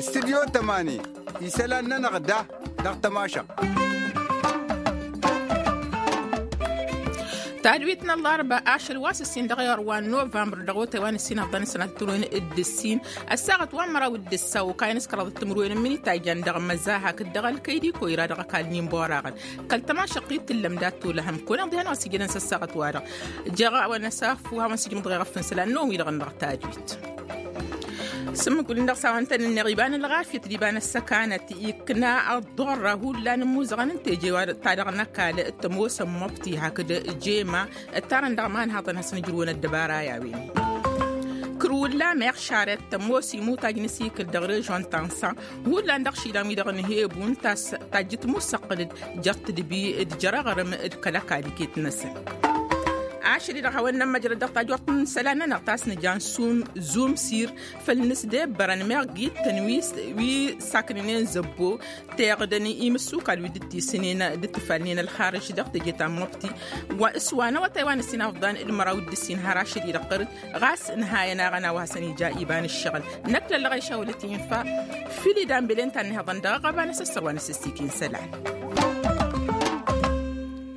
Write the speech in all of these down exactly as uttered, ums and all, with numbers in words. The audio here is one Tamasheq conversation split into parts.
Studyo tămani. Isălan-nănăɣ da dăɣ-tămašăɣt. Tadwit n-ăllarba ašăl wa s-ǝssin dăɣ-iɣăr wa n-novămbăr dăɣ-otay wa n-ǝssin ăḍḍan sănat turwen d-ǝssin ăssaɣăt wa n-măraw d-ǝssa okayăn s-kăraḍăt timǝrwen n-imǝnita ijan dăɣ-măza hakd dăɣ-ălkăydiko ira dăɣ-ăkall n-inboraɣăn. Kăl-tămašăqqit tǝllăm dat-tolăhăm kăwăn-iḍihăn a-s ijănen s-ăssaɣăt-wa-dăɣ. Jăɣ a-wa n-asaffu a-wa n-sǝjǝmǝḍ ɣef n-isălan n-om-i-dăɣ n-dăɣ tadwit. S-ǝmmǝk wǝlin dăɣ-s a-wa ǝntănănneɣ iba n-ălɣafyăt d-iba n-ăssăkanăt ikna ăḍḍorra hullan n-imuzăɣăn n-teje wa ta dăɣ-năkal. Tămoosăn măbti hakd jema ǝttarăn dăɣ-imanhaḍăn hasăn ǝjrǝwăn ăddăbara i-a-wen. Kăr-wǝllam iɣšarăt tămoos imutaj n-asikǝl dăɣ-režon tansa hullan dăɣ-išilan-wi-dăɣ n-hebu n-tass tajjǝt musăqqǝl-dd jer-tǝdbi d-jer-aɣrǝm d-kăl-ăkall iket-năsăn. Ašăl-i-dăɣ hawăn-nămmăjrăd dăɣ-tajort n-isălan-nănăɣ ta s-nǝja n-sum zumsir făll-nǝsdebbărăn meɣ gittăn wi s-aknǝnen zăbbo teɣdăn imǝssukal wi dd-tisǝnen dd-tǝfalnen ălxarǝj dăɣ-teje ta n-măbti wa s-wa n-awătay wa n-ǝssin afḍan d-măraw d-ǝssin har ašăl-i-dăɣ ɣărăt. Ɣas ǝnhayăn aɣăna wa hasăn-ija iba n-ǝššăɣǝl năkk lăllăɣ išawălăt infa fǝll-i danbelen ta n-inhăḍăn dăɣ-aɣăba n-asǝssăr wa n-asǝssikin isălan.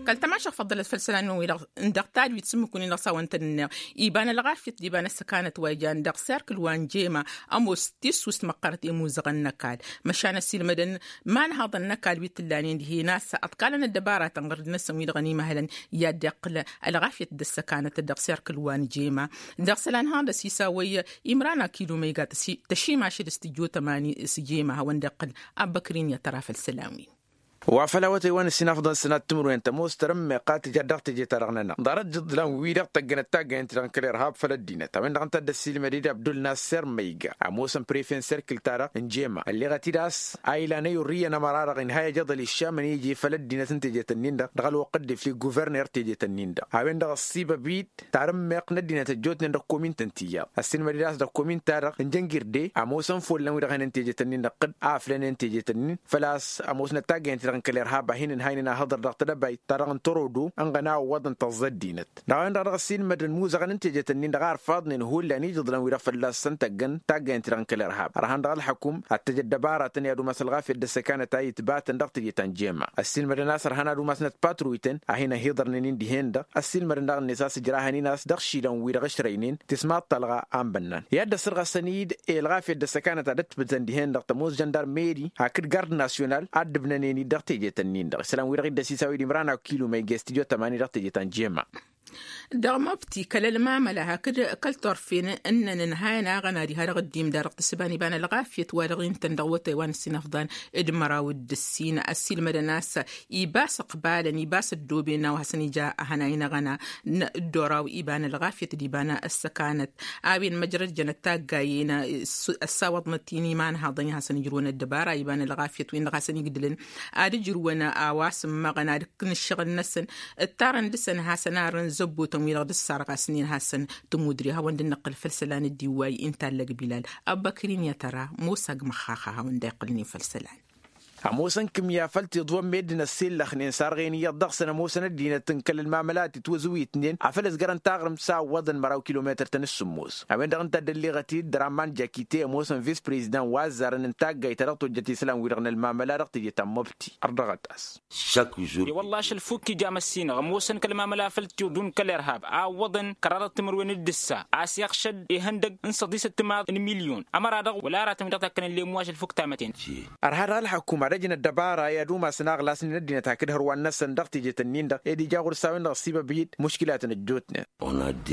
Kăl-tămašăɣ făḍḍălăt făll-isălan-nănăɣ wi-dăɣ n-dăɣ tadwit s-ǝmmǝk-win-dăɣ s-a-wa ǝntănănneɣ iba n-ălɣafyăt d-iba n-ăssăkanăt wa ijan dăɣ-serkǝl wa n-jema ămoos tissust măqqărăt i-imuzăɣăn n-ăkall măšan ăssiilmădăn imanhaḍăn n-ăkall wi t-ǝllanen dihen a-s ăḍkalăn ăddăbaratăn ɣărd-năsăn wi-dăɣ ănimăhălăn i-ad-iqqǝl ălɣafyăt d-ăssăkanăt dăɣ-serkǝl wa n-jema. Dăɣ-isălan hanăɣ-dăɣ s-isawăy imran akilumăyga tăšimăšăd s-tǝjjo tămani s-jema hawăn-dd-iqqǝl. Abbăkrin i-ad-tăra făll-isălan-win. Wa făll-awătay wa n-ǝssin afḍăn sănat timǝrwen tămoos tarǝmmeɣt a tǝja dăɣ-teje-ta-dăɣ-nănăɣ ḍarăt jǝḍlan-wi-dăɣ tăggănăt taggayăn-ti dăɣ-n kăl-irhab făll-ăddinăt a-wen-dăɣ ǝnta a dd-ăssiilmăd-dd abdul nasser măyga ămoosăn prefe n-serkǝl-ta-dăɣ n-jema ălleɣăt-dd a-s a ilan ăyurrǝyăn ămăra-dăɣ inhăy ajăḍăl iššamăn iji făll-ăddinăt n-tejet-ǝnnin-dăɣ dăɣ-ălwăqq dd-iflǝy guverner tejet-ǝnnin-dăɣ a-wen-dăɣ ăṣṣibăb-dd tarǝmmeɣt n-ăddinăt ăjjootnen dăɣ-komint n-tiyyăḍ ăssiilmăd-dd a-s dăɣ-komint-ta-dăɣ n-jăngirde ămoosăn follan wi-dăɣ hănen tejet-ǝnnin-dăɣ kăd a ăflănen tejet-ǝnnin făl-a-s ămoosnăt taggăyăn-ti-dăɣ n-kăl-irhab a hin-ǝnhaynen ahǝḍăr dăɣ-tedăbayt ta dăɣ-n torodo ǝnɣăna ăwwăḍăn tăẓẓa ăddinăt. Dăɣ-a-wen-dăɣ dăɣ-ăssiilmădăn imuzăɣăn n-tejet-ǝnnin-dăɣ a ărfaḍnen hullan ijǝḍlan-wi-dăɣ fălla-săn tăggăn taggăyăn-ti-dăɣ n-kăl-irhab ărhan dăɣ-ălxăkum ad-t-ăj ăddăbaratăn i-ad-umas ălɣafyăt d-ăssăkanăt a itbatăn dăɣ-teje ta n-jema ăssiilmădăn a-s ărhan ad-umasnăt patruytăn a hin-ăhiḍărnen-in dihen-dăɣ ăssiilmădăn daɣ-net a-s ǝjrahăn-in a-s dăɣ-išilan-wi-dăɣ ǝšrăynen tismaḍt talɣa a n-bănnan i-ad-dd-ăssărɣăsăn-dd i-ălɣafyăt d-ăssăkanăt a dd-ătbǝtăn dihen-dăɣ tămoos žăndar meri hakd gard nasyonal a dd-ǝbnănen-dd dăɣ-tejet-ǝnnin-dăɣ isălan-wi-dăɣ i dd-ăsisawăy d-imran akilumăyge s-tidyo tămani dăɣ-tejet ta n-jema. Dăɣ-mobti kăl-ălmamăla hakd kăl-turfen ǝnnăn ǝnhayăn aɣăna diha-dăɣ dd-imda dăɣ-tǝssǝba n-iba n-ălɣafyăt wa dăɣ-intăn dăɣ-awătay wa n-ǝssin afḍan d-măraw d-ǝssin ăssiilmădăn a-s ibas ǝqbalăn ibas ăddooben a-wa hasăn-ija ahănay n-aɣăna n-ăddoraw iba n-ălɣafyăt d-iba n-ăssăkanăt a-wen măjrăd jănăt taggayen ăssawăḍnăt-in imanhaḍăn i-ad-hasăn-ǝjrǝwăn ăddăbara iba n-ălɣafyăt-win-dăɣ hasăn-igdǝlăn ad-ǝjrǝwăn a-wa s-ǝmmăɣăn ad-ǝkkǝn ǝššăɣǝl-năsăn. Ǝttarăn dăɣ-săn hasăn-arrăn zăbbotăn-wi-dăɣ dd-ăssarɣasnen hasăn-tămudre hawăn-dd-nǝqqǝl făll-isălan dd-iwway inta ăllăg bilal. Ăbbăkrin i-ad-tăra mosa g-măxxaxa hawăn-dd-iqqǝlnen făll-isălan. Ămoosăn kǝmya făll-tiḍwăn meddǝn ăssillăxnen sarɣen iyyăḍ dăɣ-săn ămoosăn ăddinăt n-kăl-ălmamăla a titwăzǝwitnen afăl ǝzgărăn taɣrǝmt s-a ǝwwăḍăn măraw kilometăr-tăn s-sǝmmos. A-wen-dăɣ ǝnta a dd-ălleɣăt-dd raman jakite ămoosăn vis-prezidant wa ăzzarăn n-taggayt ta dăɣ-tojjăt isălan-wi-dăɣ n-ălmamăla dăɣ-teje ta n-mobti. Ărdăɣăt-as. I-wălla ašăl fukk ija măssinăɣ ămoosăn kăl-mamăla făll-tiḍun kăl-irhab a ǝwwăḍăn kăraḍăt timǝrwen d-ǝssa a-s iɣšăd ihăndăg n-săḍisăt timaḍ n-milyon ămăra-dăɣ wăla aratăn wi-dăɣ takkănăn lemmu ašăl fukk tamătent. Ărha dăɣ-ălxăkum ad-ăj n-ăddăbara i-ad-umasăn aɣlas n-ăddinăt hakd hărwan-năsăn dăɣ-tejet-ǝnnin-dăɣ ed ija ɣur-s a-wen-dăɣ ăssibăb-dd muškilatăn ăjjootnen.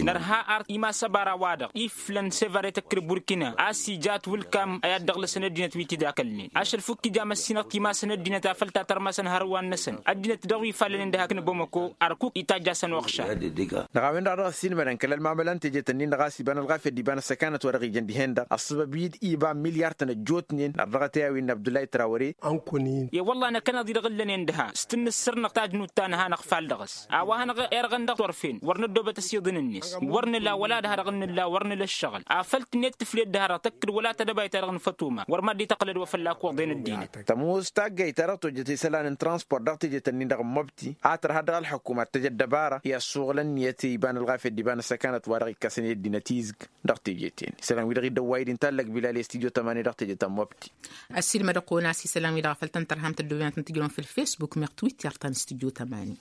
Nărha ar imas ăbara-wa-dăɣ iflăn sevaret ăkkăr burkina a-s ija ătwǝlkam a i-ad-dăɣlăsăn ăddinăt wi t-dd-akălnen ašăl fukk ija măssinăɣ timasăn ăddinăt afăl ta tărmasăn hărwan-năsăn ăddinăt dăɣ-wi fallănen d-ehăk n-bamăko. Ărkuk itajj'-asăn uɣšar. Dăɣ-a-wen-dăɣ a dăɣ-ăssiilmădăn kăl-ălmamăla n-tejet-ǝnnin-dăɣ a-s iba n-ălɣafyăt d-iba n-ăssăkanăt wa dăɣ-ijăn dihen-dăɣ ăṣṣăbăb-dd iba n-milyar-tăn ăjjootnen ărdăɣăt i-a-wen n-abdullah i-trawăre. I-wălla năkkăneḍ-i-dăɣ ǝllănen dăha s-tǝnnǝssărnăɣ tajnut ta nǝha năɣfal dăɣ-s a-wa hanăɣ-irɣăn dăɣ-torfen wăr năddoobăt ăsiḍǝn-net. Wăr nǝla wăla dăha-dăɣ n-nǝlla wăr nǝla ăššăɣǝl. Afăl tǝnnet tǝflet dăha-dăɣ tăkkǝd wăla tadăbayt-ta-dăɣ n-fătoma wăr mad-dd-tăqqǝlăd wa fălla-k uḍen ăddinăt. Tămoos taggayt-ta-dăɣ tojjăt isălan n-transport dăɣ-teje-tăn-in-dăɣ n-măbti a tărha dăɣ-ălḥăkuma d-tăj ăddăbara i-ăssuɣǝl ǝnniyăt iba n-ălɣafyăt d-iba n-ăssăkanăt wa dăɣ-ikkăsăn i-ăddinăt izg. Dăɣ-teje-ten isălan-wi-dăɣ iddăwway-dd inta ăllăg bilal i-studio tămani dăɣ-teje ta n-măbti. Ăssiilmăd-kăwăn-as isălan-wi-dăɣ a făl tăn-tărham tăddoobinăt n-tijrăwăn făll-facebook meɣ twitter-ta n-studio tămani.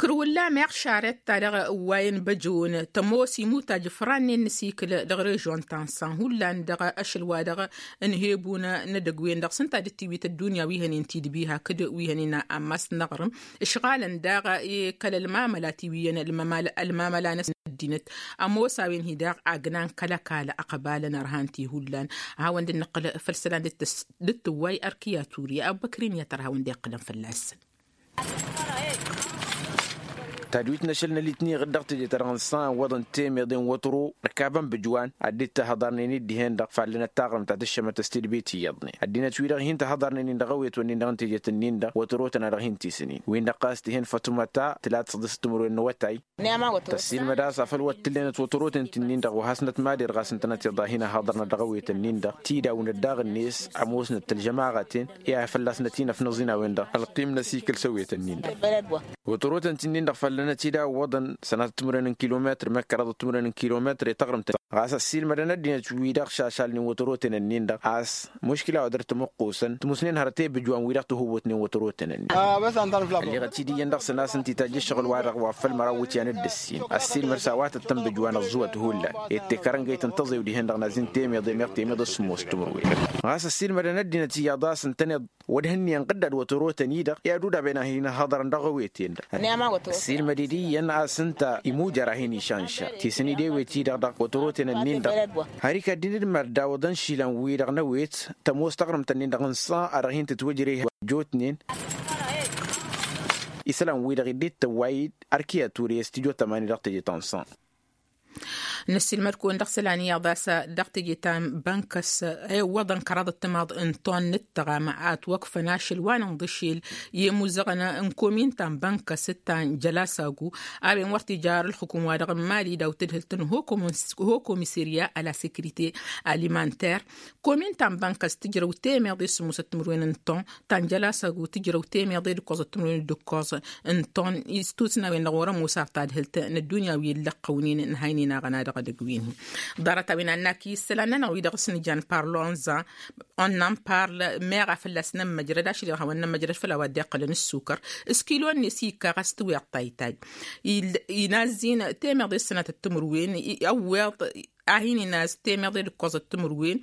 Kăr-wǝllam iɣšarăt-ta-dăɣ ǝwwayăn băjon tămoos imutaj ǝfrannen n-asikǝl dăɣ-režon ta n-san hullan dăɣ-ašăl wa dăɣ-ǝnhebun n-edăgg-wen-dăɣ s-ǝnta a dd-tiwit ăddunya wi hănen tidbi hakd wi hănen ammas n-aɣrǝm. Ǝšɣalăn daɣ i-kăl-ălmamăla ti wi iyyăn ălmamăla n-ăddinăt. Ămoos a-wen-hi daɣ agnan kăl-ăkall ăqbal n-ărhan ti hullan. A hawăn-dd-nǝqqǝl făll-isălan dd-tǝwway ărkǝya turǝya ăbbăkrin i-ad-tăr hawăn-dd-iqqǝlăn fălla-săn. Tadwit n-ašăl n-ălitniɣ-dd dăɣ-teje-ta-dăɣ n-san iwwăḍăn temeḍe n-wătro ărkabăn bǝjwan ad-dd-tahăḍarnen-dd dihen-dăɣ fallănăt taɣrǝmt ta tǝššămăt s-tidbit iyyăḍnen ăddinăt-wi-dăɣ hin-tahăḍarnen-in dăɣ-awet-wǝnnin-dăɣ n-tejet-ǝnnin-dăɣ wătro-tăn a dăɣ-hin-tisǝnin-win-dăɣ ɣas tihen fătumăta tǝla d-săḍǝs timǝrwen n-awătay. Tăssiilmăd a-s afăl wăr t-tǝllenăt wătoroten ti-nin-dăɣ wa hasnăt mader ɣas ǝntănăt iḍa hin-ăhaḍărnăt dăɣ-awet-ǝnnin-dăɣ tidawǝnăt daɣ-net. Ămoosnăt tălžămaɣăten i-ad-fălla-s nătinăfnăẓ-in a-wen-dăɣ ălqim n-asikǝl s-awet-ǝnnin-dăɣ. Wătoroten ti-nin-dăɣ făllănăt-dd a ǝwwăḍăn sănatăt timǝrwen n-kilometr meɣ kăraḍăt timǝrwen n-kilometr i-taɣrǝmt ɣas ăssiilmădăn ăddinăt-wi-dăɣ šašalnen wătoroten-ǝnnin-dăɣ a-s muškila wa dăr-tămăqqusăn tǝmusnen hărăt i-bǝjwan-wi-dăɣ tǝhǝwwǝtnen wătoroten-ǝnnin. Ălleɣăt-dd iyyăn dăɣ-săn a-s ǝnta itajj ǝššăɣǝl-wa-dăɣ wa făl măraw iwǝtyan d-ǝssin ăssiilmăd s-a-wa tăt-tăn-bǝjwan ăẓẓuwăt hullan. Ed tekarăn găyt n-tăẓew dihen-dăɣ nazin temeḍe meɣ temeḍe s-sǝmmos timǝrwen. Ɣas ăssiilmădăn ăddinăt iyyăḍ a-s ǝntăneḍ wăr hǝnniyăn ɣǝddad wătoroten-i-dăɣ i-ad-udaben a hin-ăhhăḍărăn dăɣ-aweten-dăɣ. Ăssiilmăd-dd iyyăn a-s ǝnta imujăr a hin-išănša tisǝn-dd ewet-i-dăɣ dăɣ-wătoroten-ǝnnin-dăɣ. Har ikaddin d-mărdawăḍăn išilan-wi-dăɣ n-ewet tămoos taɣrǝmt-ǝnnin-dăɣ n-san a dăɣ-hin-tǝtwǝjreh ăjjootnen. Isălan-wi-dăɣ idd-tăwway-dd ărkǝya ture i-studio tămani dăɣ-teje ta n-san. Năssiilmăd-kăwăn dăɣ-isălan iyyăḍ a-s dăɣ-teje ta n-bănkăs ewwăḍăn kăraḍăt timaḍ n-ton n-ǝttăɣam a ătwăkfăn ašăl wa n-inḍǝšel i-imuzăɣăn n-komin ta n-bănkăs d-ta n-jălasagu. A-wen wăr t-ija ar ǝlxǝkum-wa-dăɣ n-mali daw-tǝdhǝlt n-ho-komisirya a la sekirite alimanter. Komin ta n-bănkăs tǝjrăw temeḍe s-sǝmmosăt timǝrwen n-ton ta n-jălasagu tǝjrăw temeḍe d-ǝkkoẓăt timǝrwen d-ǝkkoẓ n-ton. Istusna-wen-dăɣ wăr-ămoos ar tadhǝlt n-ăddunya wi ǝllăqqăwnen n-haynen aɣăna dăɣ-edăgg-win-hi. Ḍarăt-a-wen a n-ak isălan-nănăɣ wi-dăɣ s-nǝjan parlo n-za on n-am parl meɣ a fălla-s nămmăjrăd ašăl i-dăɣ hawăn-nămmăjrăd făll-a-wa dd-iqqălăn ǝssukăr. S-kilon-net ikka ɣas tǝwiḍ taytay inazzin temeḍe s-sănatăt timǝrwen i-ăwweḍ a hin-inaz temeḍe d-ǝkkoẓăt timǝrwen.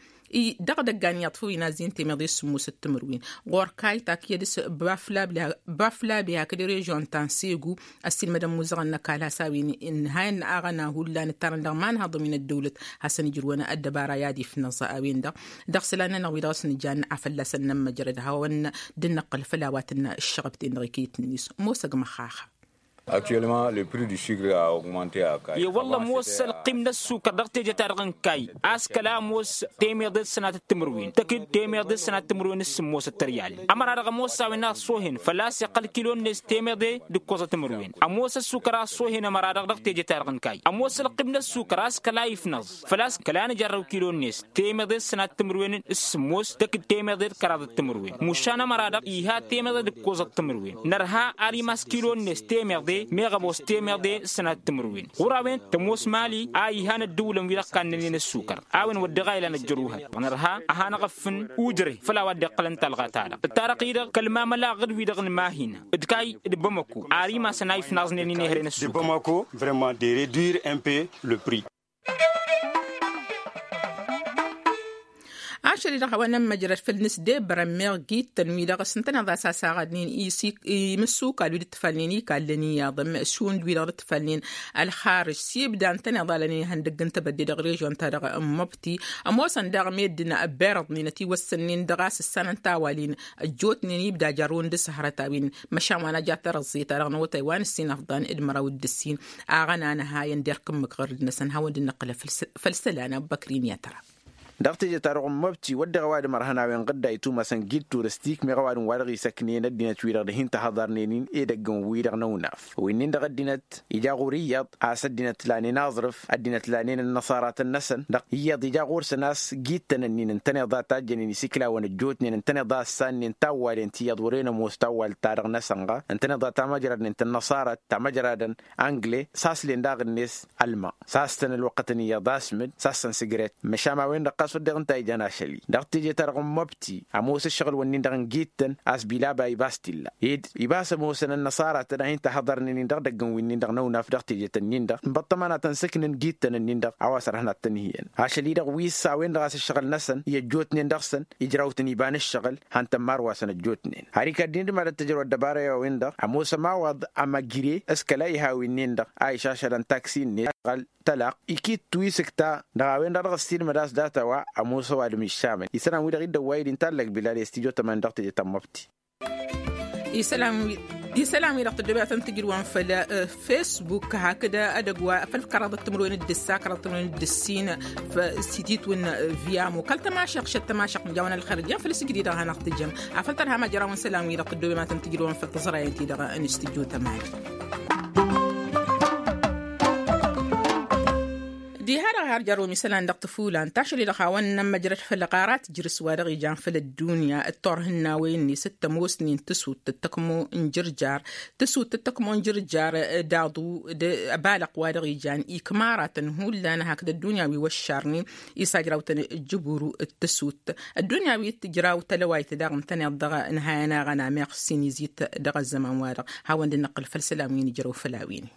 Dăɣ-idăggan iyyăḍ făw inazzin temeḍe s-sǝmmosăt timǝrwen ɣur-kayt akǝyăd s-baflabe hakd režyon ta n-segu. Ăssiilmădăn muzăɣăn n-ăkall has-a-wen ǝnhayăn aɣăna hullan ǝttarăn dăɣ-imanhaḍăn wi n-ăddăwlăt hasăn-ijrǝwăn ăddăbara i-ad-ifnăẓ a-wen-dăɣ. Dăɣ-isălan-nănăɣ wi dăɣ-s nǝjan a fălla-săn nămmăjrăd hawăn dd-năqqăl făll-a-wa tǝnna ǝššăɣăb-ten-dăɣ ikǝyǝt-net ămoos ăgg măxxaxa. Actuellement le prix du sucre a augmenter. I-wălla ămoos ălqim n-ăssukăr dăɣ-teje-ta-dăɣ n-kayy a-s kăla ămoos temeḍe d-sănatăt timǝrwen tăkǝd temeḍe d-sănatăt timǝrwen s-sǝmmosăt tăryal. Ămăra-dăɣ ămoos a-wen a ăṣṣoohen făl-a-s iqqăl kilo-net temeḍe d-ǝkkoẓăt timǝrwen. Ămoos ăssukăr a ăṣṣoohen ămăra-dăɣ dăɣ-teje-ta-dăɣ n-kayy ămoos ălqim n-ăssukăr a-s kăla ifnăẓ făl-a-s kăla nǝjarrăw kilo-net temeḍe d-sănatăt timǝrwen s-sǝmmos tăkǝd temeḍe d-kăraḍăt timǝrwen. Mušan ămăra-dăɣ iha temeḍe d-ǝkkoẓăt timǝrwen nărha ar imas kilo-net temeḍe meɣ ămoos temeḍe s-sănatăt timǝrwen. Ɣur-a-wen tămoos mali a ihan ăddǝwǝlăn wi-dăɣ kannănen ăssukăr a-wen wădden a ilan ăjjăruhăt nărha a hanăɣ-ăffǝn ujre făll-a-wa dd-iqqălăn talɣa-ta-dăɣ ǝttarăɣ-i-dăɣ kăl-mamăla aɣǝd wi-dăɣ n-mahina d-kayy d-bamăko ar imasăn a ifnaẓnen inehren ăssukăr. Bamăko vraiment de reduire un peu le prix. Ašăl-i-dăɣ hawăn-ămmăjrăd făll-nǝsdebărăn meɣ gittăn wi-dăɣ s-ǝntăneḍ a-s asaɣădnen imǝssukal wi dd-tifalnen ikallăn iyyăḍ šund wi-dăɣ dd-tifalnen ălxarǝj s-ibda ǝntăneḍ alănen ihăndăgg n-tebădde dăɣ-režyon-ta-dăɣ n-măbti. Ămoosăn daɣ meddǝn ăbbirăḍnen ătiwăssănnen dăɣ-a-s ǝssanăn tawalin ăjjootnen ibda jarrăwăn d-asăhrăt a-wen măšan wa n-aja tărăẓẓe-ta-dăɣ n-awătay wa n-ǝssin ăfḍan d-măraw d-ǝssin. Aɣăna nǝhayăn derk ǝmmǝk ɣărd-năsăn hawăn-dd-năqqǝlăf făll-isălan abbăkrin i-ad-tăra. Dăɣ-teje-ta-dăɣ n-măbti wădden ăwadǝm ărhăn a-wen ɣǝdda itumăsăn gid turistik meɣ ăwadǝm wa dăɣ-isăknen ăddinăt-wi-dăɣ d-hin-tăhăḍărnen-in edăgg n-wi-dăɣ n-ăwnaf. Wi-nin-dăɣ ăddinăt ija ɣur-iyyăḍ a-s ăddinăt lanen aẓrǝf ăddinăt lanen ănnăṣaratăn-năsăn dăɣ-iyyăḍ ija ɣur-săn a-s gid-tăn ǝnnin ǝntăneḍ a tajjănen isiklawăn ăjjootnen ǝntăneḍ a ǝssannen tawwalen ti iyyăḍ wăren ămoos tawwalt-ta-dăɣ n-asănɣa ǝntăneḍ a tamăjradnen tănnăṣarăt tamăjradăn angle s-aslen daɣ-net ălma. S-a-s tăn-ălwăqqătăn iyyăḍ asmǝd s-a-s tăn-sǝgret. Măšan a-wen-dăɣ ɣas wădden ǝnta a ijan ašăl-i dăɣ-teje-ta-dăɣ n-măbti ămoos ǝššăɣǝl-wăn-nin-dăɣ n-gid-tăn a-s bilaba ibas t-illa ed ibas ămoosăn ănnăṣara-tăn a hin-tăhăḍărnen-in dăɣ-idăgg n-wi-nin-dăɣ n-ăwnaf dăɣ-teje-tăn-in-dăɣ n-băṭṭăma n-ad-tăn-sǝknǝn gid-tăn-ǝnnin-dăɣ a-wa s-ărhăn ad-tăn-hi-iyăn. Ašăl-i-dăɣ wi s-a-wen-dăɣ a-s ǝššăɣǝl-năsăn i-ăjjootnen dăɣ-săn ijraw-tăn iba n-ǝššăɣǝl han tămmarwa-săn ăjjootnen. Har ikad-dd-in d-mad-ăttăjrăw ăddăbara i-a-wen-dăɣ ămoos ămawăḍ amăgre s-kăla iha wi-nin-dăɣ a išašălăn taksi-net ăɣăl tălaq ikittu isǝkta dăɣ-a-wen-dăɣ dăɣ-ăssiilmăd a-s data wa ămoos ăwadǝm iššamăn isălan-wi-dăɣ iddăwway-dd inta ăllăg bilal i-s tijo tăman dăɣ-teje ta n-măbti. Isălan-wi-dăɣ tăddoobem ad-tăn-tǝjrǝwăn făll-ăf facebook hakd edăgg wa făll-kăraḍăt timǝrwen d-ǝssa kăraḍăt timǝrwen d-ǝssin. S-ititwǝn viyamo kăl-tămašăɣt šăt tămašăɣt mǝjawăn ălxer ǝjăn făll-sǝjdǝy-dăɣ a hanăɣ-tǝjăm afăl tărha ma jărawăn isălan-wi-dăɣ tăddoobem ad-tăn-tǝjrǝwăn făll-tiẓrayen-ti-dăɣ n-istǝjjo tămali. Diha-dăɣ har jarrăwăm isălan dăɣ-tǝfulan tašăl-i-dăɣ hawăn-nămmăjrăd făll-ɣarat jǝrǝs wa dăɣ-ijan făll-ăddunya d-turhǝnnawen-net d-tămoosnen tǝsut d-tăkmo n-jǝrjar tǝsut d-tăkmo n-jǝrjar d-aḍu d-abalăɣ wa dăɣ-ijan ikmaratăn hullan hakd ăddunya wi wăššarnen isajraw-tăn ǝjjǝburu d-tǝsut ăddunya wi tǝjraw tălăwayt daɣ ǝntăneḍ dăɣ-nǝhayăn aɣăna meɣ s-inizit dăɣ-ăzzăman-wa-dăɣ. Hawăn-dd-năqqǝl făll-isălan wi nǝjrăw făll-a-wen.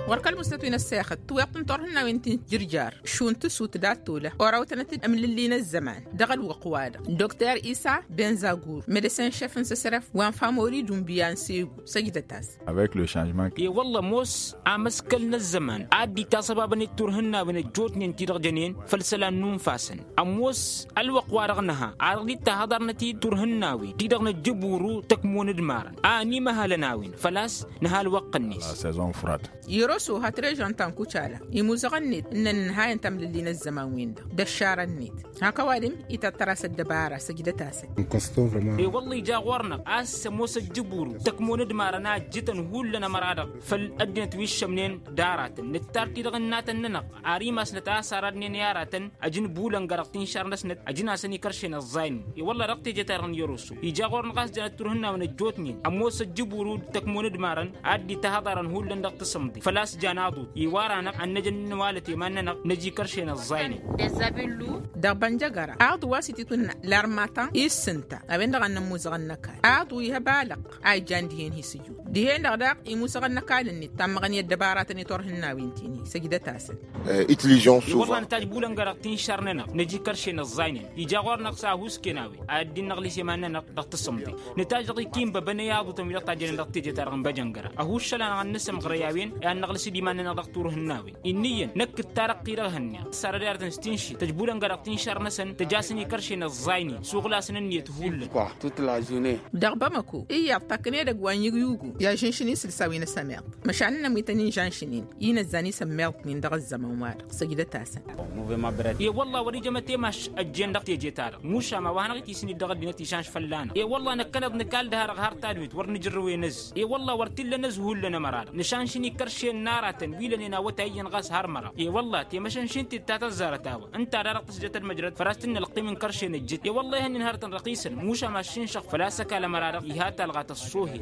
Wăr kăl-musnăt wi n-ăssexăt tiweḍt n-turhǝnnawen ti n-jǝrjar šund tǝsut dat-tolăh orawtănăt-dd ămlǝlli n-ăzzăman dăɣ-ălwăqq-wa-dăɣ dokter isa benzagur medesen šef n-săsrăf wa n-famori d-unbiya n-segu săjdăt-as. Avec le changement. I-wălla ămoos amăskăl n-ăzzăman a dd-itasăbabăn i-turhǝnnawen ăjjootnen ti-dăɣ jănen făll-isălan n-unfasăn ămoos ălwăqq-wa-dăɣ nǝha a dăɣ-dd-tahăḍarnăt-dd turhǝnnawen ti-dăɣ nǝjjǝburu tăkmon d-imarăn a ănimăhălăn a-wen făl-a-s nǝha ălwăqq-net. Iroso ha trežăn ta n-kucala imuzăɣăn-net ǝnnăn ǝnhayăn tamlǝlli n-ăzzăman-win-dăɣ d-ăššarăn-net hak ăwadǝm ităṭṭăr-as ăddăbara săjdăt-asăn. I-wălla ija ɣur-năɣ a-s ămoos ăjjǝburu tăkmon d-imarăn a ǝjjǝtăn hullan ămăra-dăɣ făll-ăddinăt wi ǝššămnen d-aratăn nǝttar-t-i dăɣ-ǝnnatăn-nănăɣ ar imasnăt a-s aradnen i-aratăn ăjǝn bulăn ga-dăɣ tinšar-năsnăt ăjǝn-asăn ikăršen ăẓẓaynen. I-wălla dăɣ-teje-ta-dăɣ n-iroso ija ɣur-năɣ a-s janăt turhǝnnawen ăjjootnen ămoos ăjjǝburu d-tăkmon d-imarăn a dd-itahăḍarăn hullan dăɣ-tasǝmḍe făl-a-s jan aḍu-t i-wăr-anăɣ ad-năj ad-nǝnwalăt i-iman-nănăɣ năj ikăršen ăẓẓaynen. Dăɣ-bănjăgăra aḍu wa s-ititwǝnna larmatan i-ǝssǝnta a-wen-dăɣ ad-nămmuzăɣăn n-ăkall aḍu ih' ăbalăɣ a ijan dihen hi-sǝju dihen-dăɣ daɣ imusăɣăn n-ăkall-net tammăɣăn i-ăddăbaratăn i-turhǝnnawen-tin-hi săjdăt-asăn. Itǝlližăn s-uva. Wălla nǝtajj bulăn ga-dăɣ tinšar-nănăɣ năj ikăršen ăẓẓaynen ija ɣur-năɣ s-ahusken a-wen ad-dd-innăɣlis i-iman-nănăɣ dăɣ-tasǝmḍe. Nǝtajj dăɣ-ikinbăbăn i-aḍu-tăn wi-dăɣ tajjănen dăɣ-teje-ta-dăɣ n-băjăngăra ăhuššăl-anăɣ ad-nǝsǝmɣrăy a-wen i-ad-năɣlǝs d-iman-nănăɣ dăɣ-turhǝnnawen. Inniyăn năkk d-ta-dăɣ-ti-dăɣ hănneɣ s-arăd i-arătăn s-tinšit tăjbulăn ga-dăɣ tinšar-năsăn tăj'-asăn ikăršen ăẓẓaynen suɣǝl-asăn ǝnniyăt hullan. Dăɣ-bamăko iyyăḍ takk n-edăgg wa n-yǝgyugu i-ažǝnšǝn isǝlsa wi n-asămeḍ măšan ǝnnăn wi tăn-inžănšǝn-in inăzzan isămmeḍnen dăɣ-ăzzăman-wa-dăɣ săjdăt-asăn. I-wălla wăr-ijăm ătemaš ăjjeen dăɣ-teje-ta-dăɣ mušam a-wa hanăɣ-itisǝn-dd dăɣ-ăddinăt išanš fălla-năɣ i-wălla năkkăneḍ nǝkall dăha-dăɣ har tadwit wăr nǝjărrǝwen ăzz i-wălla wăr t-illa n-ăzz hullan ămăra-dăɣ nǝšanšǝn ikăršen n-aratăn wi lănen awătay iyyăn ɣas har măraw i-wălla temăšănšint-dd ta tăzzarăt a-wa ǝnta da-dăɣ tǝsjăt ălmăjrăd făl a-s t-innă ălqim n-ikăršen ăjjǝt i-wălla ihănnen hărătăn răqisăn mušam aššinšăɣ făl-a-s ăkall ămăra-dăɣ iha talɣa tăṣṣohe.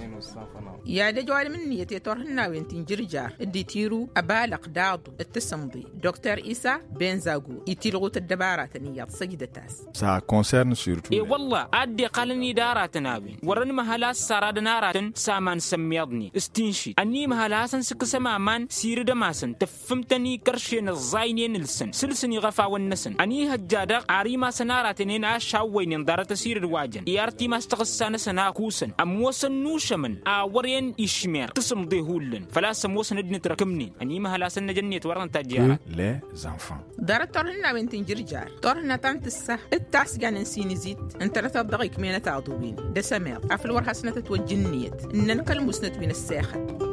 I-ad-ăj ăwadǝm ǝnniyăt i-turhǝnnawen ti n-jǝrjar dd-itiru ăbalăɣ d-aḍu d-tasǝmḍe dokter isa benzagu itilɣu-t ăddăbaratăn iyyăḍ săjdăt-as. S-a concern surtout. I-wălla a dd-iqqalăn-dd aratăn a-wen wăr-ănmăhăl a-s saradăn aratăn s-aman s-ămmiḍnen s-tinšit ănimăhăl a hasăn-sǝkkǝsăm aman. ănn sirǝdăm-asăn tǝffǝm-tăn ikăršen ǝẓẓaynen ǝlsăn sǝlsăn iɣăfawăn-năsăn ănihăjja-dăɣ ar imasăn aratănen a ăšawwăynen ḍarăt ăsirǝd wa jăn i-ar timas tăɣǝssa-năsăn a kusăn ămoosăn n-ušămăn a wăren išmer tǝsǝmḍe hullan făl-a-s ămoosăn dd-nǝtrăkǝmnen ănimăhăl-asăn năj ănniyăt wăren tajjera. Ḍarăt turhǝnnawen tinjǝrjar turhǝnna ta n-tǝssa d-tasgan n-sinǝzit ǝntănăteḍ dăɣ-ikmenăt aḍu-win d-asămeḍ afăl wăr hasnăt ătwăjj ǝnniyăt ǝnnăn kăl-musnăt wi n-ăssexăn.